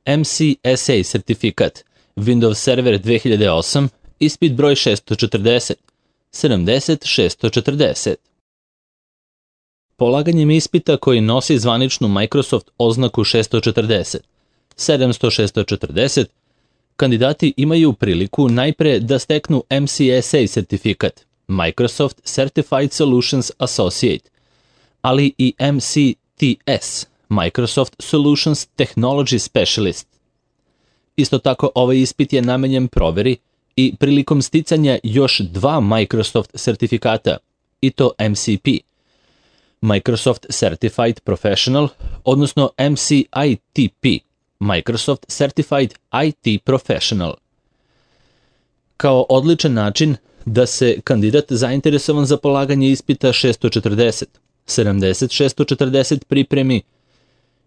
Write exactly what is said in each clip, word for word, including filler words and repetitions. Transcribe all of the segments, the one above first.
M C S A sertifikat, Windows Server dve hiljade osam, ispit broj šesto četrdeset, sedamdeset šesto četrdeset. Polaganjem ispita koji nosi zvaničnu Microsoft oznaku šesto četrdeset, sedamsto šesto četrdeset, kandidati imaju priliku najpre da steknu M C S A sertifikat, Microsoft Certified Solutions Associate, ali i M C T S, Microsoft Solutions Technology Specialist. Isto tako, ovaj ispit je namenjen proveri i prilikom sticanja još dva Microsoft sertifikata, i to M C P, Microsoft Certified Professional, odnosno M C I T P, Microsoft Certified I T Professional. Kao odličan način da se kandidat zainteresovan za polaganje ispita šesto četrdeset, sedamdeset šesto četrdeset pripremi,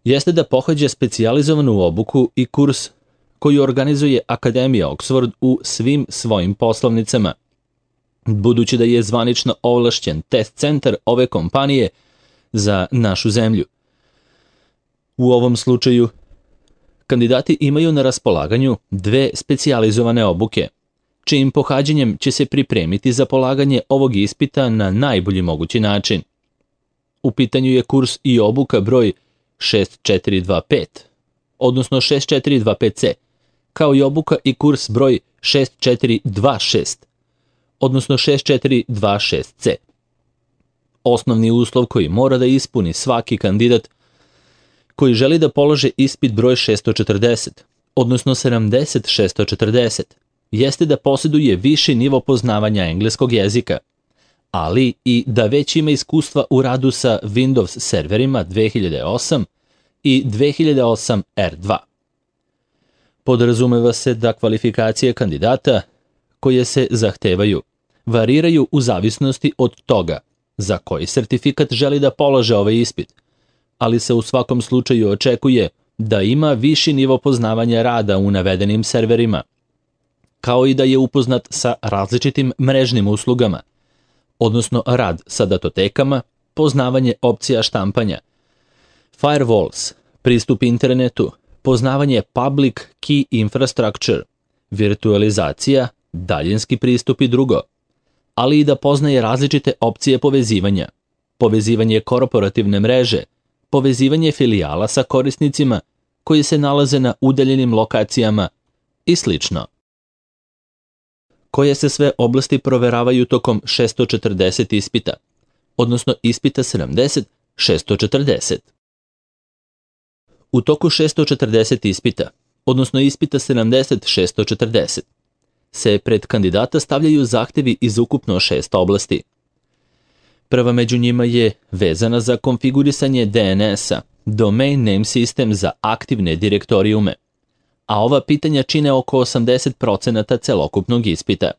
jeste da pohađa specijalizovanu obuku i kurs koju organizuje Akademija Oxford u svim svojim poslovnicama, budući da je zvanično ovlašćen test centar ove kompanije za našu zemlju. U ovom slučaju, kandidati imaju na raspolaganju dve specijalizovane obuke, čijim pohađanjem će se pripremiti za polaganje ovog ispita na najbolji mogući način. U pitanju je kurs i obuka broj šest četiri dva pet, odnosno šest četiri dva pet C, kao i obuka i kurs broj šest četiri dva šest, odnosno šest četiri dva šest C. Osnovni uslov koji mora da ispuni svaki kandidat koji želi da polože ispit broj šesto četrdeset, odnosno sedamdeset šesto četrdeset, jeste da posjeduje viši nivo poznavanja engleskog jezika, ali i da već ima iskustva u radu sa Windows serverima dve hiljade osam i dve hiljade osam R dva. Podrazumeva se da kvalifikacije kandidata koje se zahtevaju variraju u zavisnosti od toga za koji sertifikat želi da polože ovaj ispit, ali se u svakom slučaju očekuje da ima viši nivo poznavanja rada u navedenim serverima, kao i da je upoznat sa različitim mrežnim uslugama, odnosno rad sa datotekama, poznavanje opcija štampanja, firewalls, pristup internetu, poznavanje public key infrastructure, virtualizacija, daljinski pristup i drugo, ali i da poznaje različite opcije povezivanja, povezivanje korporativne mreže, povezivanje filijala sa korisnicima koji se nalaze na udaljenim lokacijama i slično. Koje se sve oblasti proveravaju tokom šesto četrdeset ispita, odnosno ispita sedamdeset šesto četrdeset. U toku šesto četrdeset ispita, odnosno ispita sedamdeset šesto četrdeset, se pred kandidata stavljaju zahtevi iz ukupno šest oblasti. Prva među njima je vezana za konfigurisanje D N S-a, Domain Name System za aktivne direktorijume, a ova pitanja čine oko osamdeset posto celokupnog ispita.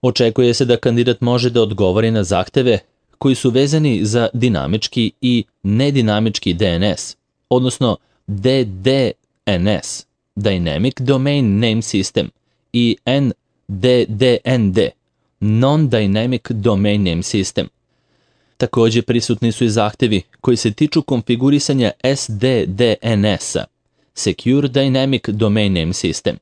Očekuje se da kandidat može da odgovori na zahteve koji su vezani za dinamički i nedinamički D N S, odnosno D D N S, Dynamic Domain Name System, i N D D N D, Non-Dynamic Domain Name System. Također prisutni su i zahtevi koji se tiču konfigurisanja S D D N S-a, Secure Dynamic Domain Name System.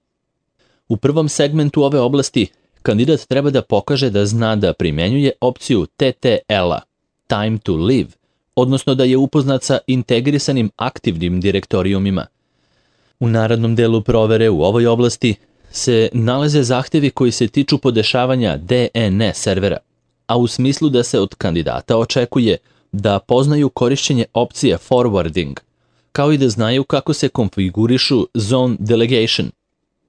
U prvom segmentu ove oblasti kandidat treba da pokaže da zna da primjenjuje opciju T T L-a, Time to Live, odnosno da je upoznat sa integrisanim aktivnim direktorijumima. U narednom delu provere u ovoj oblasti se nalaze zahtevi koji se tiču podešavanja D N S servera, a u smislu da se od kandidata očekuje da poznaju korišćenje opcije forwarding, kao i da znaju kako se konfigurišu zone delegation,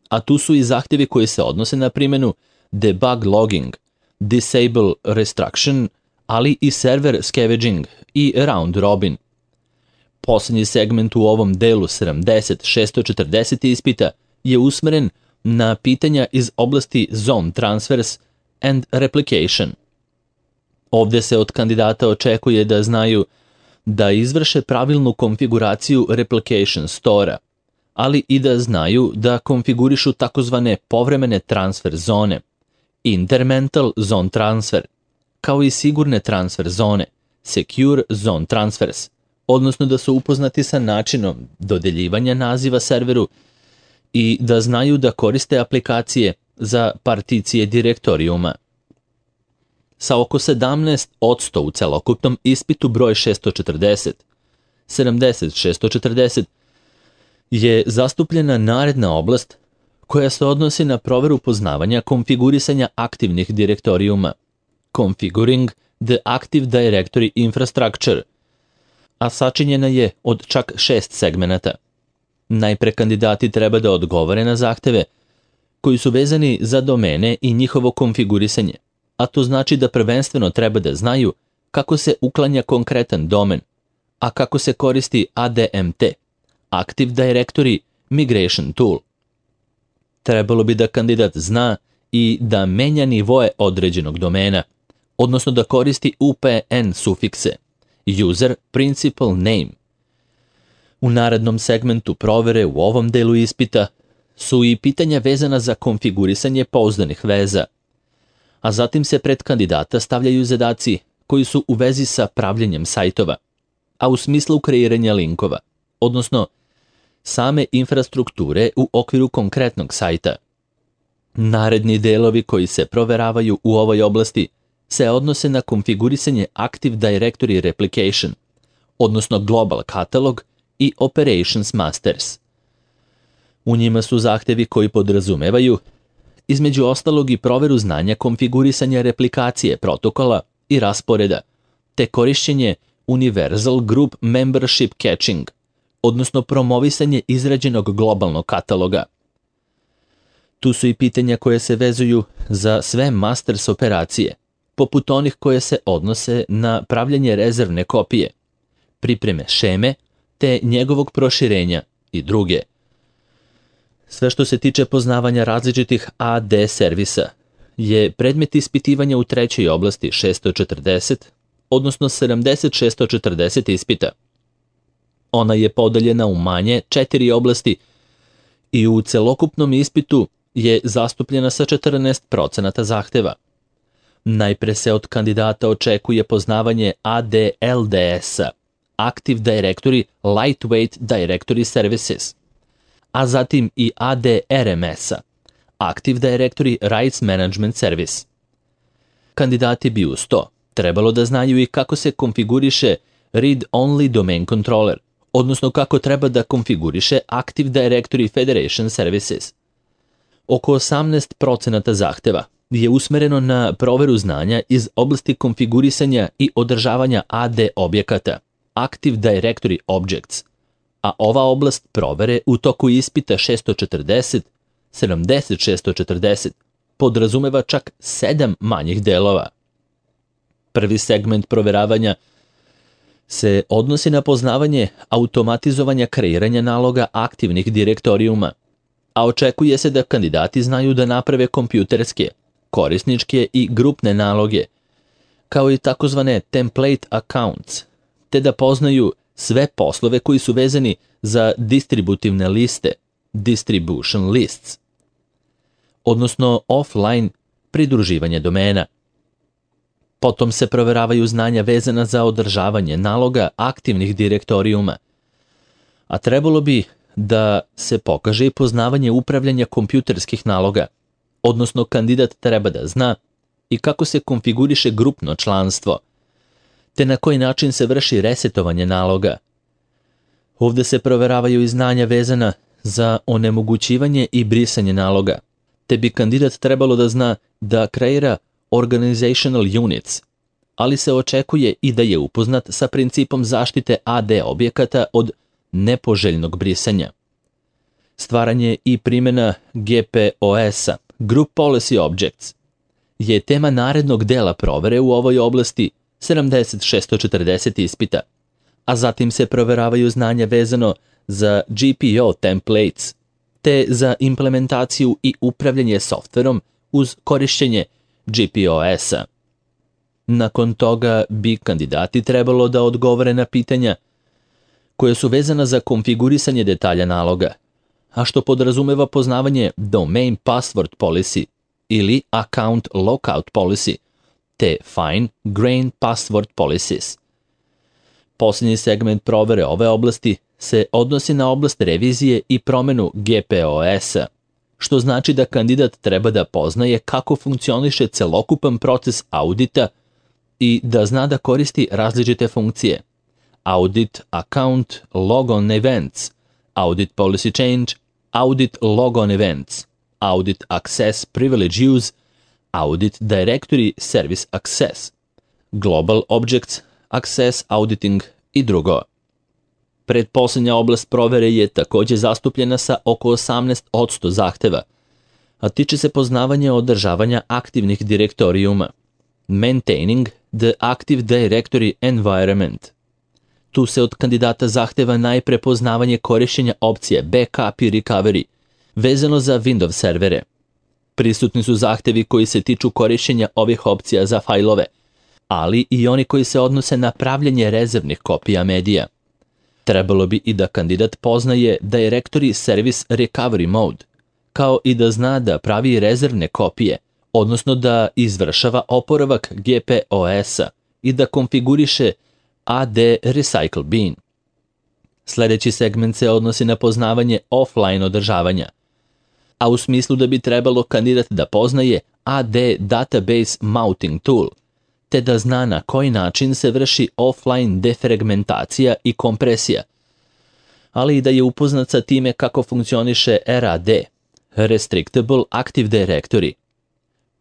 a tu su i zahtevi koji se odnose na primjenu debug logging, disable restriction, ali i server scavenging i round robin. Posljednji segment u ovom delu sedamdeset šesto četrdeset ispita je usmeren na pitanja iz oblasti Zone Transfers and Replication. Ovdje se od kandidata očekuje da znaju da izvrše pravilnu konfiguraciju Replication Store-a, ali i da znaju da konfigurišu takozvane povremene transfer zone, Intermental Zone Transfer, kao i sigurne transfer zone, Secure Zone Transfers, odnosno da su upoznati sa načinom dodeljivanja naziva serveru i da znaju da koriste aplikacije za particije direktorijuma. Sa oko sedamnaest posto u celokupnom ispitu broj šesto četrdeset, sedamdeset šesto četrdeset, je zastupljena naredna oblast koja se odnosi na proveru poznavanja konfigurisanja aktivnih direktorijuma, Configuring the Active Directory Infrastructure, a sačinjena je od čak šest segmenata. Najpre kandidati treba da odgovore na zahteve koji su vezani za domene i njihovo konfigurisanje, a to znači da prvenstveno treba da znaju kako se uklanja konkretan domen, a kako se koristi A D M T, Active Directory Migration Tool. Trebalo bi da kandidat zna i da menja nivoe određenog domena, odnosno da koristi U P N sufikse, User Principal Name. U narednom segmentu provere u ovom delu ispita su i pitanja vezana za konfigurisanje pouzdanih veza, a zatim se pred kandidata stavljaju zadaci koji su u vezi sa pravljenjem sajtova, a u smislu kreiranja linkova, odnosno same infrastrukture u okviru konkretnog sajta. Naredni delovi koji se proveravaju u ovoj oblasti se odnose na konfigurisanje Active Directory Replication, odnosno Global Catalog i Operations Masters. U njima su zahtevi koji podrazumevaju, između ostalog, i proveru znanja konfigurisanja replikacije protokola i rasporeda, te korišćenje Universal Group Membership Caching, odnosno promovisanje izrađenog globalnog kataloga. Tu su i pitanja koje se vezuju za sve masters operacije, poput onih koje se odnose na pravljanje rezervne kopije, pripreme šeme, te njegovog proširenja i druge. Sve što se tiče poznavanja različitih A D servisa je predmet ispitivanja u trećoj oblasti šesto četrdeset, odnosno sedamdeset šesto četrdeset ispita. Ona je podeljena u manje četiri oblasti i u celokupnom ispitu je zastupljena sa četrnaest procenata zahteva. Najpre se od kandidata očekuje poznavanje A D L D S-a, Active Directory Lightweight Directory Services, a zatim i A D R M S-a, Active Directory Rights Management Service. Kandidati bi uz to trebalo da znaju i kako se konfiguriše Read-Only Domain Controller, odnosno kako treba da konfiguriše Active Directory Federation Services. Oko osamnaest procenata zahteva je usmereno na proveru znanja iz oblasti konfigurisanja i održavanja A D objekata, Active Directory Objects, a ova oblast provere u toku ispita šesto četrdeset, sedamdeset šesto četrdeset podrazumeva čak sedam manjih delova. Prvi segment proveravanja se odnosi na poznavanje automatizovanja kreiranja naloga aktivnih direktorijuma, a očekuje se da kandidati znaju da naprave kompjuterske, korisničke i grupne naloge, kao i takozvane template accounts, te da poznaju sve poslove koji su vezani za distributivne liste, distribution lists, odnosno offline pridruživanje domena. Potom se proveravaju znanja vezana za održavanje naloga aktivnih direktorijuma, a trebalo bi da se pokaže i poznavanje upravljanja kompjuterskih naloga, odnosno kandidat treba da zna i kako se konfiguriše grupno članstvo, te na koji način se vrši resetovanje naloga. Ovde se proveravaju i znanja vezana za onemogućivanje i brisanje naloga, te bi kandidat trebalo da zna da kreira organizational units, ali se očekuje i da je upoznat sa principom zaštite A D objekata od nepoželjnog brisanja. Stvaranje i primjena G P O S-a, Group Policy Objects, je tema narednog dela provere u ovoj oblasti sedamdeset šesto četrdeset ispita, a zatim se proveravaju znanja vezano za G P O templates, te za implementaciju i upravljanje softverom uz korišćenje G P O S-a. Nakon toga bi kandidati trebalo da odgovore na pitanja koje su vezana za konfigurisanje detalja naloga, a što podrazumeva poznavanje Domain Password Policy ili Account Lockout Policy, te Fine Grained Password Policies. Posljednji segment provere ove oblasti se odnosi na oblast revizije i promenu G P O S-a, što znači da kandidat treba da poznaje kako funkcioniše celokupan proces audita i da zna da koristi različite funkcije: Audit Account Logon Events, Audit Policy Change, Audit Logon Events, Audit Access Privilege Use, Audit Directory Service Access, Global Objects Access Auditing i drugo. Pretposlednja oblast provere je takođe zastupljena sa oko osamnaest posto zahteva, a tiče se poznavanja održavanja aktivnih direktorijuma. Maintaining the Active Directory Environment. Tu se od kandidata zahteva najpre poznavanje korišćenja opcije Backup i Recovery, vezano za Windows servere. Prisutni su zahtevi koji se tiču korišćenja ovih opcija za fajlove, ali i oni koji se odnose na pravljenje rezervnih kopija medija. Trebalo bi i da kandidat poznaje Directory Service Recovery Mode, kao i da zna da pravi rezervne kopije, odnosno da izvršava oporavak G P O S-a i da konfiguriše A D Recycle Bin. Sledeći segment se odnosi na poznavanje offline održavanja, a u smislu da bi trebalo kandidat da poznaje A D Database Mounting Tool, te da zna na koji način se vrši offline defragmentacija i kompresija, ali i da je upoznat sa time kako funkcioniše R A D, Restrictable Active Directory.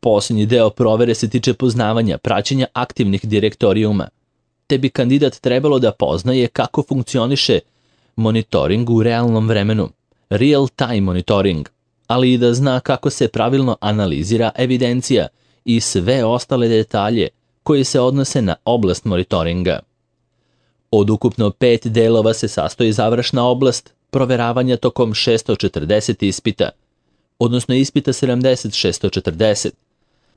Posljednji deo provere se tiče poznavanja praćenja aktivnih direktorijuma, te bi kandidat trebalo da poznaje kako funkcioniše monitoring u realnom vremenu, real time monitoring, ali i da zna kako se pravilno analizira evidencija i sve ostale detalje koji se odnose na oblast monitoringa. Od ukupno pet delova se sastoji završna oblast proveravanja tokom šesto četrdeset ispita, odnosno ispita sedamdeset šesto četrdeset,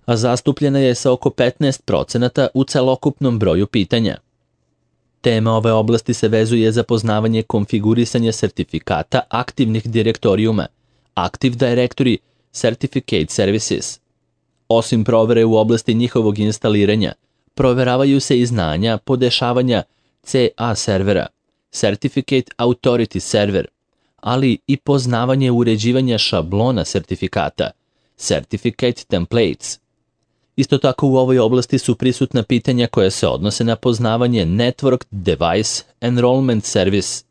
a zastupljena je sa oko petnaest procenata u celokupnom broju pitanja. Tema ove oblasti se vezuje za poznavanje konfigurisanja sertifikata aktivnih direktorijuma, Active Directory Certificate Services. Osim provere u oblasti njihovog instaliranja, proveravaju se i znanja podešavanja C A servera, Certificate Authority Server, ali i poznavanje uređivanja šablona sertifikata, Certificate Templates. Isto tako u ovoj oblasti su prisutna pitanja koja se odnose na poznavanje Network Device Enrollment Service,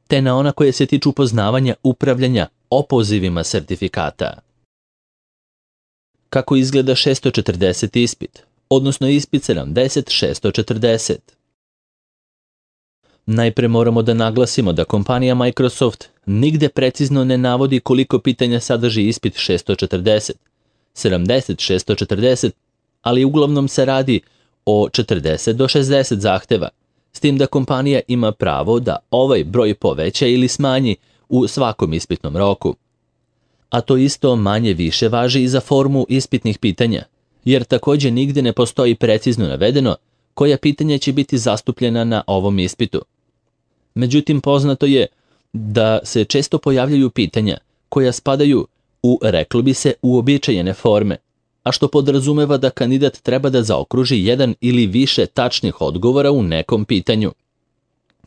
te na ona koje se tiču poznavanja upravljanja opozivima sertifikata. Kako izgleda šesto četrdeset ispit, odnosno ispit sedamdeset šesto četrdeset? Najpre moramo da naglasimo da kompanija Microsoft nigde precizno ne navodi koliko pitanja sadrži ispit šesto četrdeset, sedamdeset šesto četrdeset, ali uglavnom se radi o četrdeset do šezdeset zahteva, s tim da kompanija ima pravo da ovaj broj poveća ili smanji u svakom ispitnom roku. A to isto manje više važi i za formu ispitnih pitanja, jer takođe nigde ne postoji precizno navedeno koja pitanja će biti zastupljena na ovom ispitu. Međutim, poznato je da se često pojavljaju pitanja koja spadaju u, reklo bi se, uobičajene forme, a što podrazumeva da kandidat treba da zaokruži jedan ili više tačnih odgovora u nekom pitanju.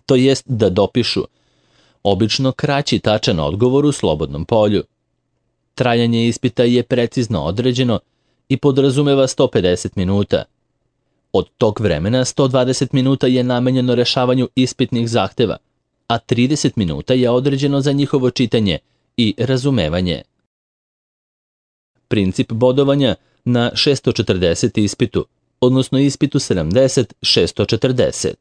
To jest da dopišu obično kraći tačan odgovor u slobodnom polju. Trajanje ispita je precizno određeno i podrazumeva sto pedeset minuta. Od tog vremena sto dvadeset minuta je namenjeno rešavanju ispitnih zahteva, a trideset minuta je određeno za njihovo čitanje i razumevanje. Princip bodovanja na šesto četrdeset ispitu, odnosno ispitu sedamdeset šesto četrdeset.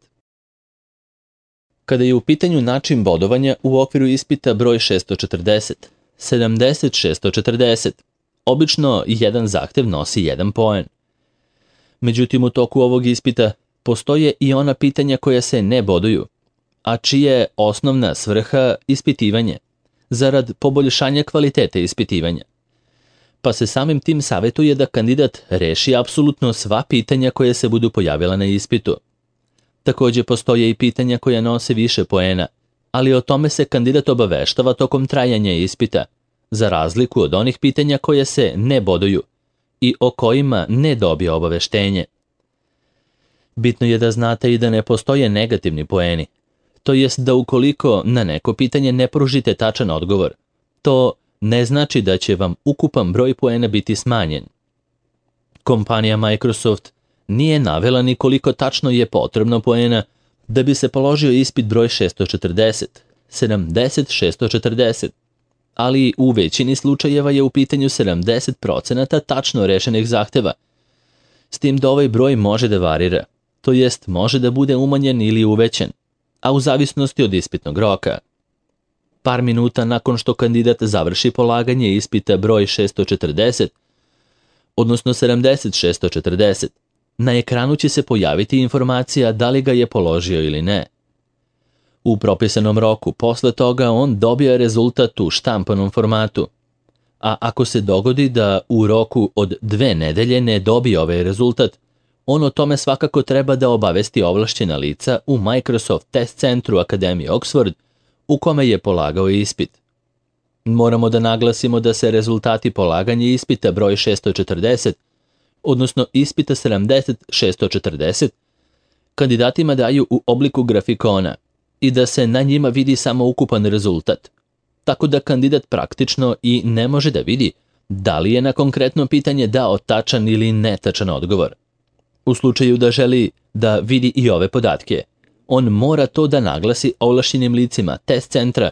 Kada je u pitanju način bodovanja u okviru ispita broj šesto četrdeset, sedamdeset šesto četrdeset, obično jedan zahtev nosi jedan poen. Međutim, u toku ovog ispita postoje i ona pitanja koja se ne boduju, a čija je osnovna svrha ispitivanje, zarad poboljšanja kvalitete ispitivanja. Pa se samim tim savjetuje da kandidat reši apsolutno sva pitanja koja se budu pojavila na ispitu. Takođe postoje i pitanja koja nose više poena, ali o tome se kandidat obaveštava tokom trajanja ispita, za razliku od onih pitanja koje se ne boduju i o kojima ne dobije obaveštenje. Bitno je da znate i da ne postoje negativni poeni, to jest da ukoliko na neko pitanje ne pružite tačan odgovor, to ne znači da će vam ukupan broj poena biti smanjen. Kompanija Microsoft nije navela ni koliko tačno je potrebno poena da bi se položio ispit broj šesto četrdeset, sedamdeset šesto četrdeset, ali u većini slučajeva je u pitanju sedamdeset procenata tačno rešenih zahteva, s tim da ovaj broj može da varira, to jest može da bude umanjen ili uvećan, a u zavisnosti od ispitnog roka. Par minuta nakon što kandidat završi polaganje ispita broj šesto četrdeset, odnosno sedamdeset šesto četrdeset, na ekranu će se pojaviti informacija da li ga je položio ili ne. U propisanom roku posle toga on dobija rezultat u štampanom formatu, a ako se dogodi da u roku od dve nedelje ne dobije ovaj rezultat, on o tome svakako treba da obavesti ovlašćena lica u Microsoft Test Centru Akademije Oxford u kome je polagao ispit. Moramo da naglasimo da se rezultati polaganja ispita broj šesto četrdeset, odnosno ispita sedamdeset šesto četrdeset, kandidatima daju u obliku grafikona i da se na njima vidi samo ukupan rezultat, tako da kandidat praktično i ne može da vidi da li je na konkretno pitanje dao tačan ili netačan odgovor. U slučaju da želi da vidi i ove podatke, on mora to da naglasi ovlašćenim licima test centra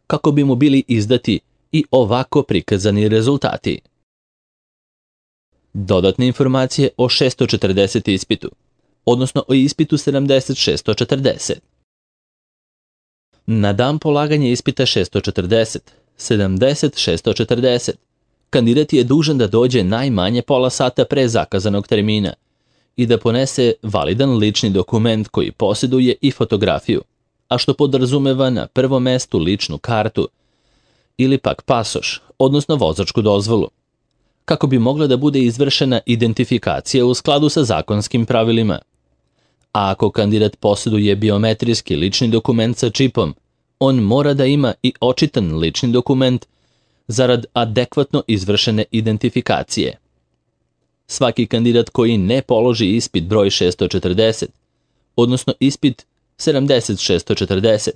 kako bi mu bili izdati i ovako prikazani rezultati. Dodatne informacije o šesto četrdeset ispitu, odnosno o ispitu sedamdeset šesto četrdeset. Na dan polaganja ispita šesto četrdeset, sedamdeset šesto četrdeset, kandidat je dužan da dođe najmanje pola sata pre zakazanog termina i da ponese validan lični dokument koji posjeduje i fotografiju, a što podrazumeva na prvom mestu ličnu kartu ili pak pasoš, odnosno vozačku dozvolu, kako bi mogla da bude izvršena identifikacija u skladu sa zakonskim pravilima. A ako kandidat posjeduje biometrijski lični dokument sa čipom, on mora da ima i očitan lični dokument zarad adekvatno izvršene identifikacije. Svaki kandidat koji ne položi ispit broj šesto četrdeset, odnosno ispit sedamdeset šesto četrdeset,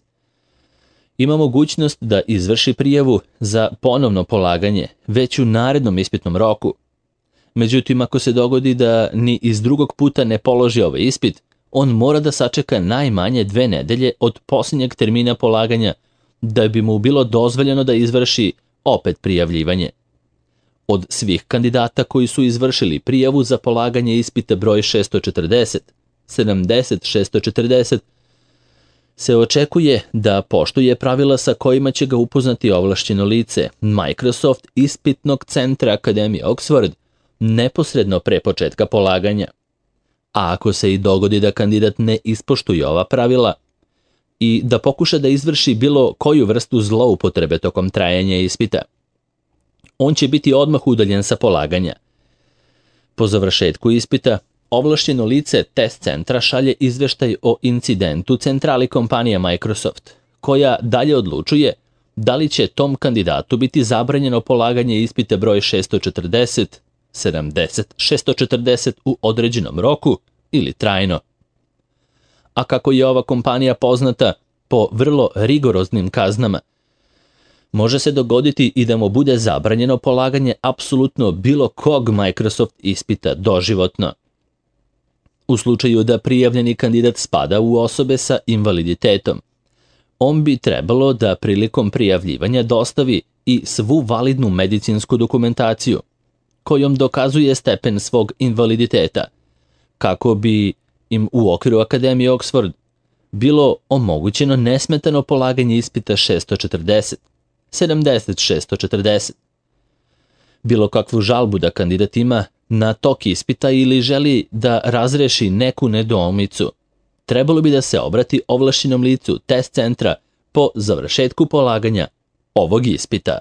ima mogućnost da izvrši prijavu za ponovno polaganje već u narednom ispitnom roku. Međutim, ako se dogodi da ni iz drugog puta ne položi ovaj ispit, on mora da sačeka najmanje dve nedelje od posljednjeg termina polaganja da bi mu bilo dozvoljeno da izvrši opet prijavljivanje. Od svih kandidata koji su izvršili prijavu za polaganje ispita broj šesto četrdeset, sedamdeset šesto četrdeset, se očekuje da poštuje pravila sa kojima će ga upoznati ovlašćeno lice Microsoft ispitnog centra Akademije Oxford neposredno pre početka polaganja. A ako se i dogodi da kandidat ne ispoštuje ova pravila i da pokuša da izvrši bilo koju vrstu zloupotrebe tokom trajanja ispita, on će biti odmah udaljen sa polaganja. Po završetku ispita, ovlašćeno lice test centra šalje izveštaj o incidentu centrali kompanije Microsoft, koja dalje odlučuje da li će tom kandidatu biti zabranjeno polaganje ispita broj šesto četrdeset, sedamdeset šesto četrdeset u određenom roku ili trajno. A kako je ova kompanija poznata po vrlo rigoroznim kaznama, može se dogoditi i da mu bude zabranjeno polaganje apsolutno bilo kog Microsoft ispita doživotno. U slučaju da prijavljeni kandidat spada u osobe sa invaliditetom, on bi trebalo da prilikom prijavljivanja dostavi i svu validnu medicinsku dokumentaciju, kojom dokazuje stepen svog invaliditeta, kako bi im u okviru Akademije Oxford bilo omogućeno nesmetano polaganje ispita šesto četrdeset, sedamdeset šesto četrdeset. Bilo kakvu žalbu da kandidat ima na tok ispita ili želi da razreši neku nedoumicu, trebalo bi da se obrati ovlašćenom licu test centra po završetku polaganja ovog ispita.